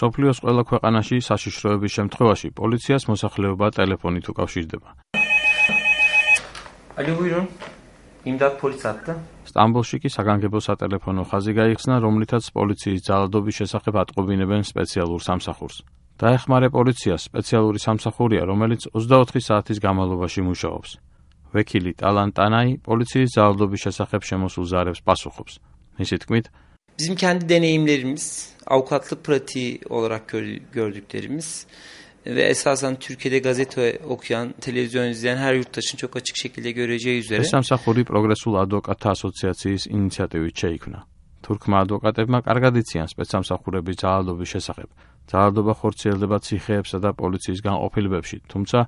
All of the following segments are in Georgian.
სოფლიოს ყველა ქვეყანაში საშიშროების შემთხვევაში პოლიციას მოსახლეობა ტელეფონით უკავშირდება. სტამბოლში კი საგანგებო სატელეფონო ხაზი გაიხსნა, რომლითაც პოლიციის ძალადობის შესახებ ატყობინებენ სპეციალურ სამსახურს. დაეხმარე პოლიციას სპეციალური სამსახურია, რომელიც 24 საათის განმავლობაში მუშაობს. ვექილი ტალან ტანაი politsiyis ძალადობის შესახებ შემოსულ ზარებს pasukhops. Მისი თქმით, bizim kendi deneyimlerimiz, avukatlık pratiği olarak gördüklerimiz ve esasen Türkiye'de gazete okuyan, televizyon izleyen her yurttaşın çok açık şekilde göreceği üzere. ეს სამსახური პროგრესულ ადვოკატთა ასოციაციის ინიციატივით შეიქმნა. თურქმა ადვოკატებმა კარგად იციან სპეცსამსახურების ძალადობის შესახებ. ძალადობა ხორციელდება ციხეებსა და პოლიციის განყოფილებებში, თუმცა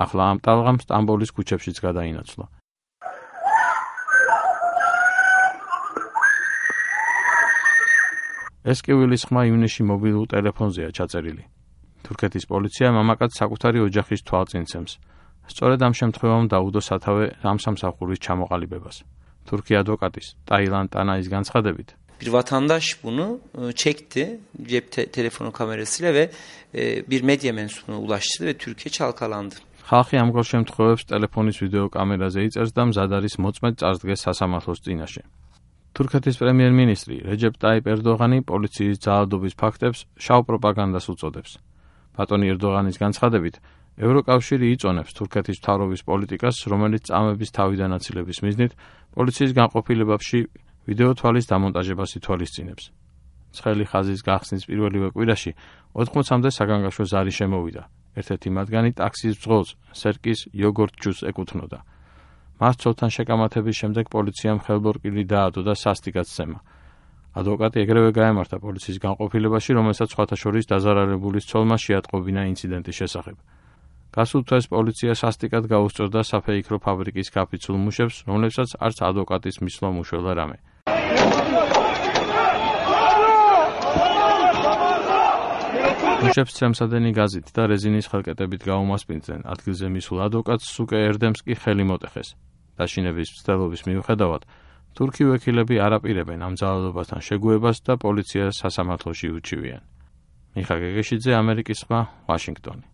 ახლა ამ ტალღამ სტამბოლის ქუჩებშიც გადაინაცვლა. ეს კივილის ხმა ივნისში მობილურ ტელეფონზეა ჩაწერილი. თურქეთის პოლიცია მამაკაც საკუთარი ოჯახის თვალწინცემს. სწორედ ამ შემთხვევამ დაუდო სათავე ამ სამსახურის ჩამოყალიბებას. Türkiye advokatის ტაილან ტანაის განცხადებით, bir vatandaş bunu çekti cep telefonu kamerasıyla ve bir medya mensubuna ulaştı ve Türkiye çalkalandı. ხალხი ამგვარ შემთხვევებს ტელეფონის ვიდეო კამერაზე იწერს და მზად არის მოწმედ წარსდგეს სასამართლოს წინაშე. თურქეთის პრემიერ-მინისტრი რეჯეპ ტაიპ ერდოღანი პოლიციის ძალადობის ფაქტებს შავ პროპაგანდას უწოდებს. ბატონი ერდოღანის განცხადებით, ევროკავშირი იწონებს თურქეთის მთავრობის პოლიტიკას, რომელიც წამების თავიდან აცილების მიზნით პოლიციის განყოფილებებში ვიდეო თვალის დამონტაჟებას ითვალისწინებს. ცხელი ხაზის გახსნის პირველივე კვირაში 80-მდე საგანგაშო ზარი შემოვიდა. ერთ-ერთი მათგანი ტაქსის ბრძოლს სერკის იოგორტ ჯუს ეკუთვნოდა. მას ცოლთან შეკამათების შემდეგ პოლიციამ ხელბორკილი დაადო და სასტიკად სცემა. ადვოკატი ეგრევე გაემართა პოლიციის განყოფილებაში, რომელსაც სხვათა შორის დაზარალებულის ცოლმა შეატყობინა ინციდენტის შესახებ. გასულ თვეს პოლიცია სასტიკად გაუსწორდა საფეიქრო ფაბრიკის კაფიცულ მუშებს, რომლებსაც არც ადვოკატის მისვლა უშველა რამე. მუშებს ცემსადენი გაზით და რეზინის ხელკეტებით გაუმასპინძენ. ადგილზე მისულ ადვოკატს სუკე ერდემსკი ხელი მოტეხეს. დაშინების მცდელობის მიუხედავად, თურქი ვექილები არ აპირებენ ამ ძალადობასთან შეგუებას და პოლიციას სასამართლოში უჩივიან. მიხა გეგეშიძე, ამერიკის სხვა, ვაშინგტონი.